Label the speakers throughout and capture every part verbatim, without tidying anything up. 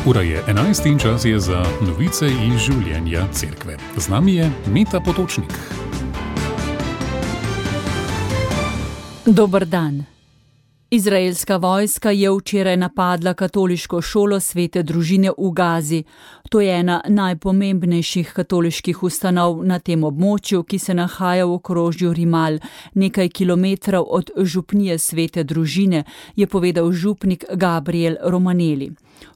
Speaker 1: Ura je enajst in čas je za novice iz življenja cerkve. Z nami je Meta Potočnik.
Speaker 2: Dober dan. Izraelska vojska je včeraj napadla katoliško šolo Svete družine v Gazi. To je ena najpomembnejših katoliških ustanov na tem območju, ki se nahaja v okrožju Rimal, nekaj kilometrov od župnije Svete družine, je povedal župnik Gabriel Romaneli.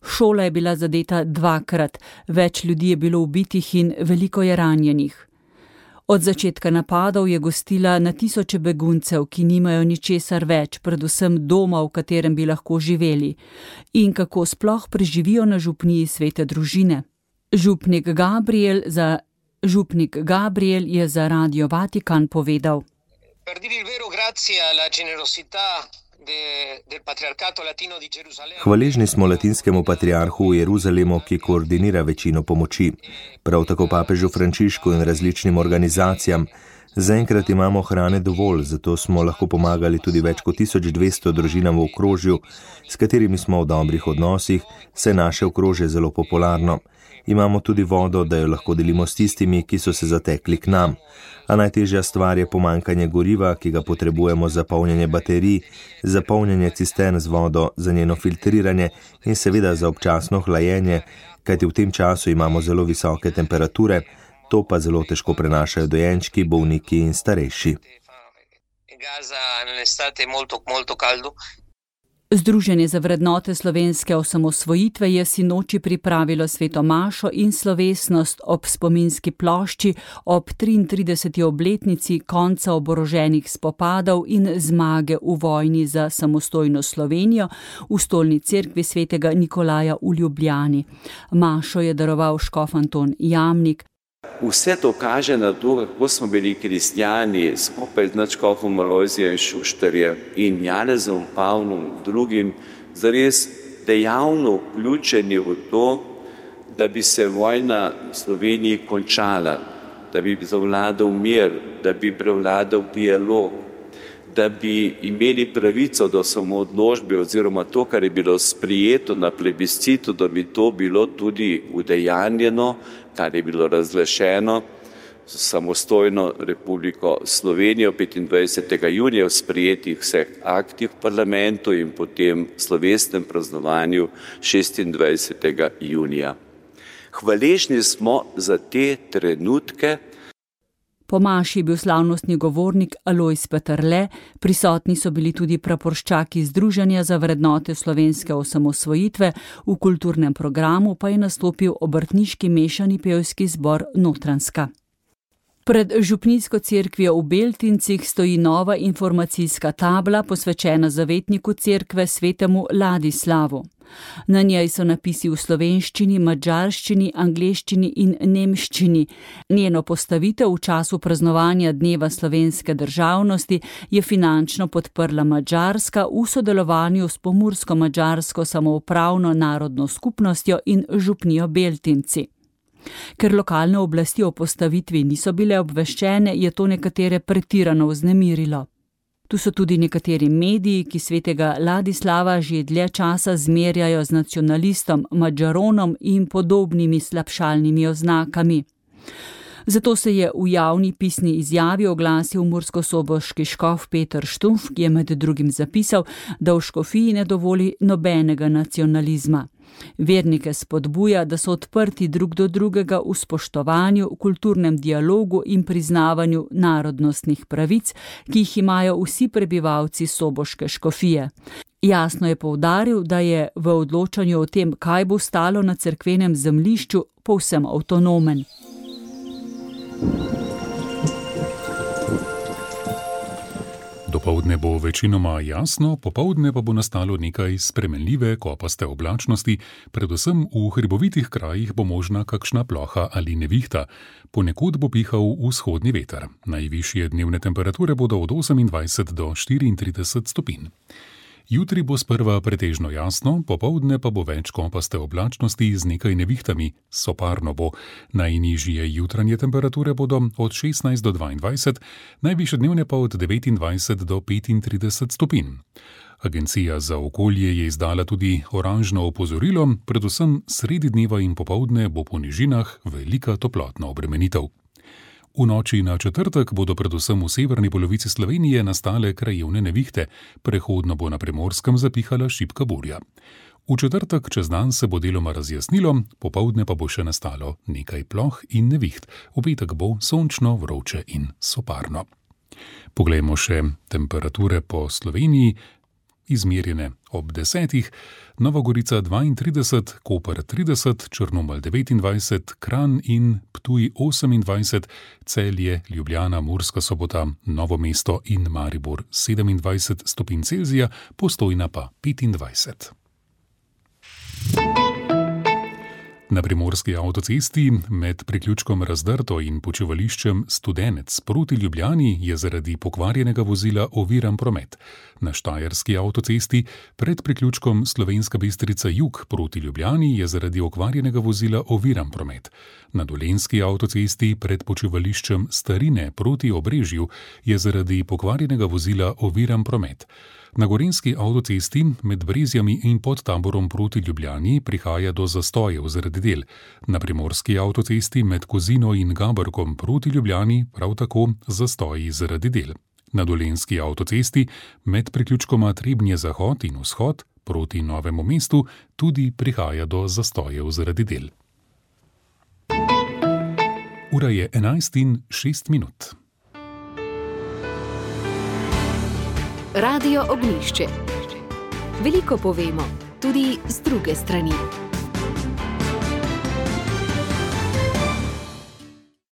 Speaker 2: Šola je bila zadeta dvakrat, več ljudi je bilo ubitih in veliko je ranjenih. Od začetka napadov je gostila na tisoče beguncev, ki nimajo ničesar več, predvsem doma, v katerem bi lahko živeli. In kako sploh preživijo na župniji Svete družine? Župnik Gabriel, za, župnik Gabriel je za Radio Vatikan povedal.
Speaker 3: Hvaležni smo latinskemu patriarhu v Jeruzalemu, ki koordinira večino pomoči, prav tako papežu Frančišku in različnim organizacijam. Zaenkrat imamo hrane dovolj, zato smo lahko pomagali tudi več kot tisoč dvesto družinam v okrožju, s katerimi smo v dobrih odnosih, saj naše okrožje zelo popularno. Imamo tudi vodo, da jo lahko delimo s tistimi, ki so se zatekli k nam. A najtežja stvar je pomanjkanje goriva, ki ga potrebujemo za polnjenje baterij, za polnjenje cistern z vodo, za njeno filtriranje in seveda za občasno hlajenje, kajti v tem času imamo zelo visoke temperature, to pa zelo težko prenašajo dojenčki, bolniki in starejši.
Speaker 2: Združenje za vrednote slovenske osamosvojitve je sinoči pripravilo sveto mašo in slovesnost ob spominski plošči ob triintrideseti obletnici konca oboroženih spopadov in zmage v vojni za samostojno Slovenijo v stolni cerkvi svetega Nikolaja v Ljubljani. Mašo je daroval škof Anton Jamnik.
Speaker 4: Vse to kaže na to, kako smo bili kristjani skupaj z nadškofom Alojzijem Šuštarjem in Janezom Pavlom drugim zares dejavno vključeni v to, da bi se vojna v Sloveniji končala, da bi zavladal mir, da bi prevladal dialog, da bi imeli pravico do samoodločbe oziroma to, kar je bilo sprijeto na plebiscitu, da bi to bilo tudi udejanjeno, kar je bilo razglašeno z samostojno Republiko Slovenijo petindvajsetega junija v sprijetih vseh aktih v parlamentu in potem slovesnem praznovanju šestindvajsetega junija. Hvaležni smo za te trenutke.
Speaker 2: Po maši je bil slavnostni govornik Alojz Peterle, prisotni so bili tudi praporščaki Združenja za vrednote slovenske osamosvojitve, v kulturnem programu pa je nastopil obrtniški mešani pevski zbor Notranjska. Pred župnijsko cerkvijo v Beltincih stoji nova informacijska tabla posvečena zavetniku cerkve svetemu Ladislavu. Na njej so napisi v slovenščini, madžarščini, angleščini in nemščini. Njeno postavitev v času praznovanja Dneva slovenske državnosti je finančno podprla Madžarska v sodelovanju s pomursko-madžarsko samoupravno narodno skupnostjo in župnijo Beltinci. Ker lokalne oblasti o postavitvi niso bile obveščene, je to nekatere pretirano vznemirilo. Tu so tudi nekateri mediji, ki svetega Ladislava že dlje časa zmerjajo z nacionalistom, Madžaronom in podobnimi slabšalnimi oznakami. Zato se je v javni pisni izjavi oglasil murskosoboški škof Peter Štumf, ki je med drugim zapisal, da v škofiji ne dovoli nobenega nacionalizma. Vernike spodbuja, da so odprti drug do drugega v spoštovanju, kulturnem dialogu in priznavanju narodnostnih pravic, ki jih imajo vsi prebivalci soboške škofije. Jasno je poudaril, da je v odločanju o tem, kaj bo stalo na cerkvenem zemljišču, povsem avtonomen.
Speaker 1: Dopoldne bo večinoma jasno, popoldne pa bo nastalo nekaj spremenljive kopaste oblačnosti, predvsem v hribovitih krajih bo možna kakšna ploha ali nevihta. Ponekod bo pihal vzhodni veter. Najvišje dnevne temperature bodo od osemindvajset do štiriintrideset stopinj. Jutri bo sprva pretežno jasno, popoldne pa bo več kopaste oblačnosti z nekaj nevihtami, soparno bo. Najnižje jutranje temperature bodo od šestnajst do dvaindvajset, najvišje dnevne pa od devetindvajset do petintrideset stopinj. Agencija za okolje je izdala tudi oranžno opozorilo, predvsem sredi dneva in popoldne bo po nižinah velika toplotna obremenitev. V noči na četrtek bodo predvsem v severni polovici Slovenije nastale krajevne nevihte, prehodno bo na Primorskem zapihala šibka burja. V četrtek čez dan se bo deloma razjasnilo, popoldne pa bo še nastalo nekaj ploh in neviht. V petek bo sončno, vroče in soparno. Poglejmo še temperature po Sloveniji. Izmerjene ob desetih, Nova Gorica dvaintrideset, Koper trideset, Črnomelj devetindvajset, Kranj in Ptuj osemindvajset, Celje, Ljubljana, Murska Sobota, Novo mesto in Maribor sedemindvajset stopinj Celzija, Postojna pa petindvajset. Na primorski avtocesti med priključkom Razdrto in počivališčem Studenec proti Ljubljani je zaradi pokvarjenega vozila oviran promet. Na štajerski avtocesti pred priključkom Slovenska Bistrica Jug proti Ljubljani je zaradi okvarjenega vozila oviran promet. Na dolenjski avtocesti pred počivališčem Starine proti Obrežju je zaradi pokvarjenega vozila oviran promet. Na gorenjski avtocesti med Brezjami in Podtaborom proti Ljubljani prihaja do zastojev zaradi del. Na primorski avtocesti med Kozino in Gaberkom proti Ljubljani prav tako zastoji zaradi del. Na dolenjski avtocesti med priključkoma Trebnje Zahod in Vzhod proti Novemu mestu tudi prihaja do zastojev zaradi del. Ura je enajst in šest minut.
Speaker 5: Radio Ognjišče. Veliko povemo, tudi z druge strani.